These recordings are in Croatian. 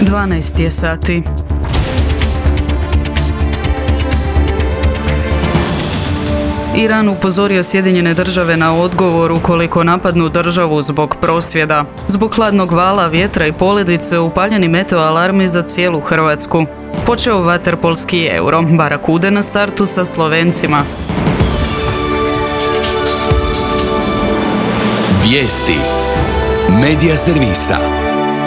12 je sati. Iran upozorio Sjedinjene države na odgovor ukoliko napadnu državu zbog prosvjeda. Zbog hladnog vala, vjetra i poledice upaljeni meteo alarmi za cijelu Hrvatsku. Počeo vaterpolski Euro, Barakude na startu sa Slovencima. Vijesti Medija servisa.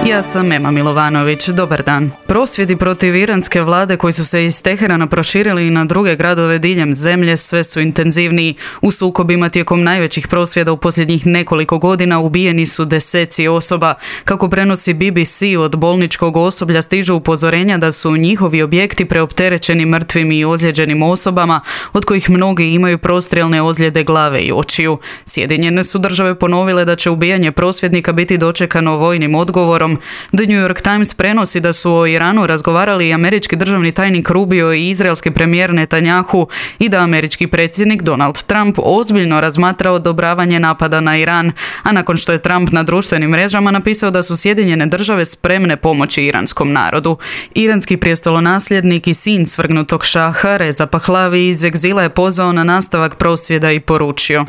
Ja sam Ema Milovanović, dobar dan. Prosvjedi protiv iranske vlade koji su se iz Teherana proširili i na druge gradove diljem zemlje sve su intenzivniji. U sukobima tijekom najvećih prosvjeda u posljednjih nekoliko godina ubijeni su deseci osoba. Kako prenosi BBC, od bolničkog osoblja stižu upozorenja da su njihovi objekti preopterećeni mrtvim i ozlijeđenim osobama, od kojih mnogi imaju prostrijelne ozljede glave i očiju. Sjedinjene su države ponovile da će ubijanje prosvjednika biti dočekano vojnim odgovorom. The New York Times prenosi da su o Iranu razgovarali i američki državni tajnik Rubio i izraelski premijer Netanjahu i da američki predsjednik Donald Trump ozbiljno razmatra odobravanje napada na Iran, a nakon što je Trump na društvenim mrežama napisao da su Sjedinjene države spremne pomoći iranskom narodu. Iranski prijestolonasljednik i sin svrgnutog šaha Reza Pahlavi iz egzila je pozvao na nastavak prosvjeda i poručio: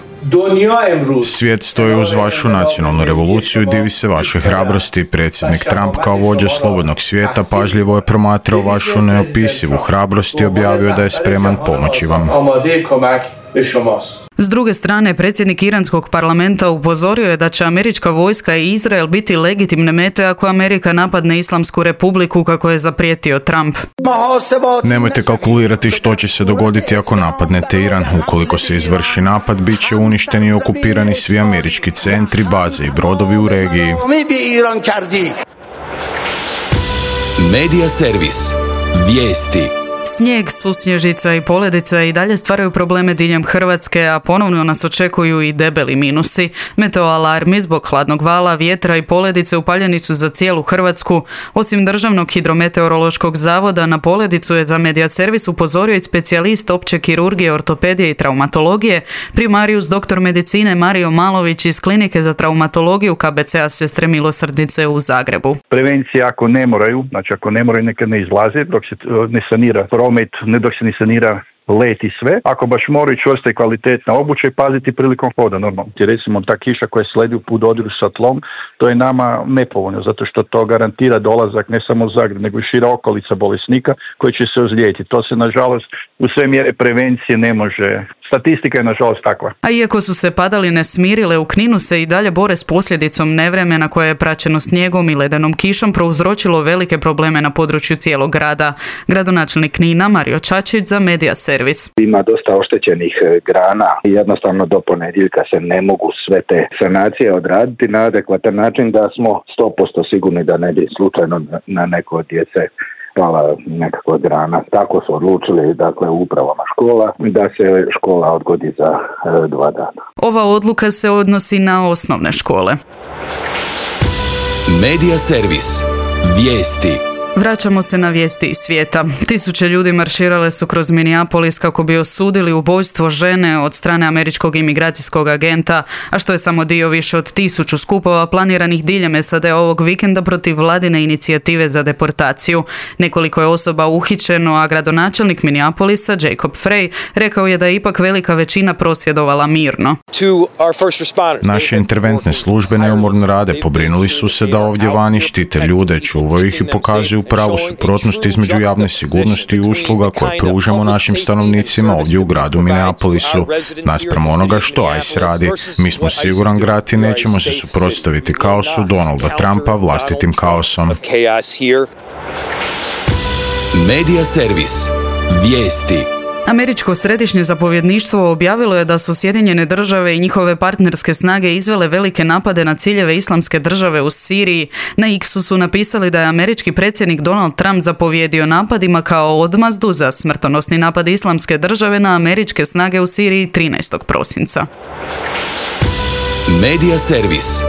Svijet stoji uz vašu nacionalnu revoluciju i divi se vašoj hrabrosti. Predsjednik Trump kao vođa slobodnog svijeta pažljivo je promatrao vašu neopisivu hrabrost i objavio da je spreman pomoći vam. S druge strane, predsjednik iranskog parlamenta upozorio je da će američka vojska i Izrael biti legitimne mete ako Amerika napadne Islamsku republiku, kako je zaprijetio Trump. Nemojte kalkulirati što će se dogoditi ako napadnete Iran. Ukoliko se izvrši napad, bit će uništeni i okupirani svi američki centri, baze i brodovi u regiji. Medija servis. Vijesti. Snijeg, susnježica i poledica i dalje stvaraju probleme diljem Hrvatske, a ponovno nas očekuju i debeli minusi. Meteoalarmi zbog hladnog vala, vjetra i poledice upaljeni su za cijelu Hrvatsku. Osim Državnog hidrometeorološkog zavoda, na poledicu je za Medija servis upozorio i specijalist opće kirurgije, ortopedije i traumatologije, primarijus doktor medicine Mario Malović iz Klinike za traumatologiju KBC-a Sestre Milosrdnice u Zagrebu. Prevencija ako ne moraju, neka ne izlaze dok se ne sanira promet, ne dok se ne sanira let i sve. Ako baš moraju, čvrsta i kvalitetna obuća i paziti prilikom hoda normalno. Recimo ta kiša koja sledi u dodiru sa tlom, to je nama nepovoljno, zato što to garantira dolazak ne samo u Zagreb, nego i šira okolica bolesnika koji će se ozlijediti. To se nažalost u sve mjere prevencije ne može. Statistika je nažalost takva. A iako su se padaline smirile, u Kninu se i dalje bore s posljedicom nevremena koje je praćeno snijegom i ledenom kišom prouzročilo velike probleme na području cijelog grada. Gradonačelnik Knina Mario Čačić za Medija servis. Ima dosta oštećenih grana i jednostavno do ponedjeljka se ne mogu sve te sanacije odraditi na adekvatan način da smo 100% sigurni da ne bi slučajno na neko od djece pala nekakva grana. Tako su odlučili, dakle, u upravama škola da se škola odgodi za 2 dana. Ova odluka se odnosi na osnovne škole. Medija servis. Vijesti. Vraćamo se na vijesti iz svijeta. Tisuće ljudi marširale su kroz Minneapolis kako bi osudili ubojstvo žene od strane američkog imigracijskog agenta, a što je samo dio više od 1000 skupova planiranih diljem SAD ovog vikenda protiv vladine inicijative za deportaciju. Nekoliko je osoba uhićeno, a gradonačelnik Minneapolisa Jacob Frey rekao je da je ipak velika većina prosvjedovala mirno. Naše interventne službe neumorno rade, pobrinuli su se da ovdje vani štite ljude, čuvaju ih i pokazuju pravu suprotnost između javne sigurnosti i usluga koje pružamo našim stanovnicima ovdje u gradu Minneapolisu. Naspram onoga što ICE radi, mi smo siguran grad i nećemo se suprotstaviti kaosu Donalda Trumpa vlastitim kaosom. Medija servis. Vijesti. Američko središnje zapovjedništvo objavilo je da su Sjedinjene države i njihove partnerske snage izvele velike napade na ciljeve Islamske države u Siriji. Na X-u su napisali da je američki predsjednik Donald Trump zapovjedio napadima kao odmazdu za smrtonosni napad Islamske države na američke snage u Siriji 13. prosinca. Medija servis.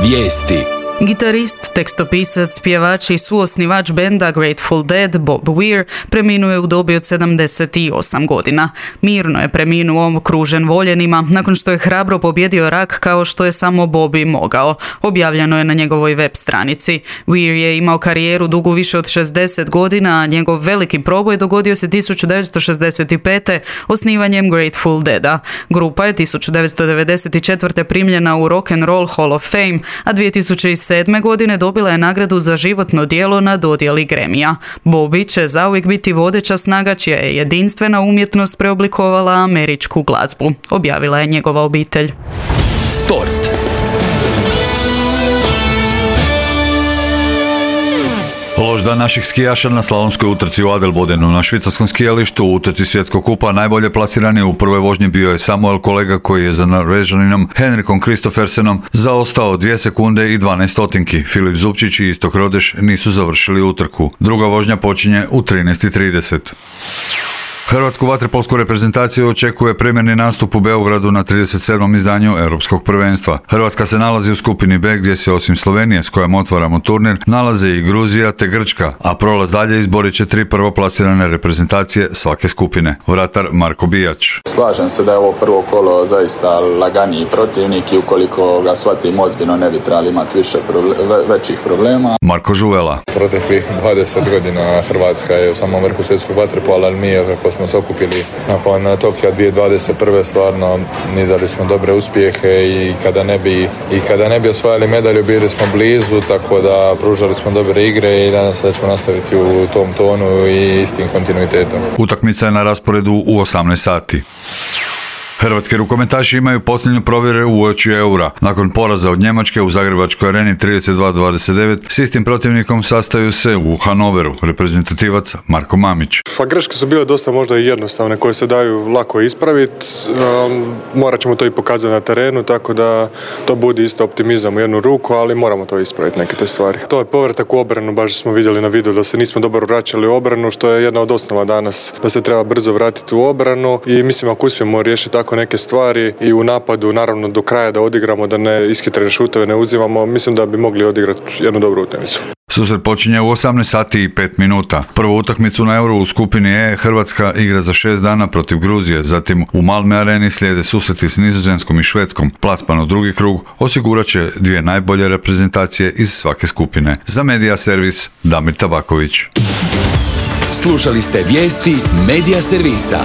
Vijesti. Gitarist, tekstopisac, pjevač i suosnivač benda Grateful Dead Bob Weir preminuo je u dobi od 78 godina. Mirno je preminuo okružen voljenima nakon što je hrabro pobjedio rak kao što je samo Bobby mogao. Objavljeno je na njegovoj web stranici. Weir je imao karijeru dugu više od 60 godina, a njegov veliki proboj dogodio se 1965. osnivanjem Grateful Deada. Grupa je 1994. primljena u Rock and Roll Hall of Fame, a 2007. godine dobila je nagradu za životno djelo na dodjeli Grammy-a. Bobby će zauvijek biti vodeća snaga čija je jedinstvena umjetnost preoblikovala američku glazbu, objavila je njegova obitelj. Sport. Loš dan naših skijaša na slalomskoj utrci u Adelbodenu. Na švicarskom skijalištu u utrci svjetskog kupa najbolje plasirani u prvoj vožnji bio je Samuel Kolega koji je za Norvežaninom Henrikom Kristoffersenom zaostao 2 sekunde i 12 stotinki. Filip Zupčić i Istok Rodeš nisu završili utrku. Druga vožnja počinje u 13:30. Hrvatsku vaterpolsku reprezentaciju očekuje premjerni nastup u Beogradu na 37. izdanju Europskog prvenstva. Hrvatska se nalazi u skupini B gdje se osim Slovenije s kojom otvaramo turnir nalaze i Gruzija te Grčka, a prolaz dalje izborit će 3 prvoplasirane reprezentacije svake skupine. Vratar Marko Bijač. Slažem se da je ovo prvo kolo zaista laganiji protivnik i ukoliko ga shvatimo ozbiljno ne bi trebali imati većih problema. Marko Žuvela. Proteklih 20 godina Hrvatska je u samom vrhu svjetskog vaterpola, ali mi kako smo se okupili nakon Tokija 2021. stvarno nizali smo dobre uspjehe i kada ne bi osvajali medalju bili smo blizu, tako da pružali smo dobre igre i danas da ćemo nastaviti u tom tonu i istim kontinuitetom. Utakmica je na rasporedu u 18 sati. Hrvatski rukometaši imaju posljednju provjeru uoči Eura. Nakon poraza od Njemačke u Zagrebačkoj areni 32-29, s istim protivnikom sastaju se u Hanoveru, reprezentativac Marko Mamić. Pa greške su bile dosta možda i jednostavne, koje se daju lako ispraviti. Morat ćemo to i pokazati na terenu, tako da to budi isto optimizam u jednu ruku, ali moramo to ispraviti, neke te stvari. To je povratak u obranu, baš smo vidjeli na videu da se nismo dobro vraćali u obranu, što je jedna od osnova danas, da se treba brzo vratiti u obranu i mislim ako uspijemo riješiti tako neke stvari i u napadu naravno do kraja da odigramo, da ne ishitrene šuteve ne uzimamo, mislim da bi mogli odigrati jednu dobru utakmicu. Susret počinje u 18 sati i 5 minuta. Prvu utakmicu na Euro u skupini E Hrvatska igra za 6 dana protiv Gruzije, zatim u Malmö areni slijede susreti s Nizozemskom i Švedskom. Plasman u drugi krug osigurat će 2 najbolje reprezentacije iz svake skupine. Za Media Servis Damir Tabaković. Slušali ste vijesti Media Servisa.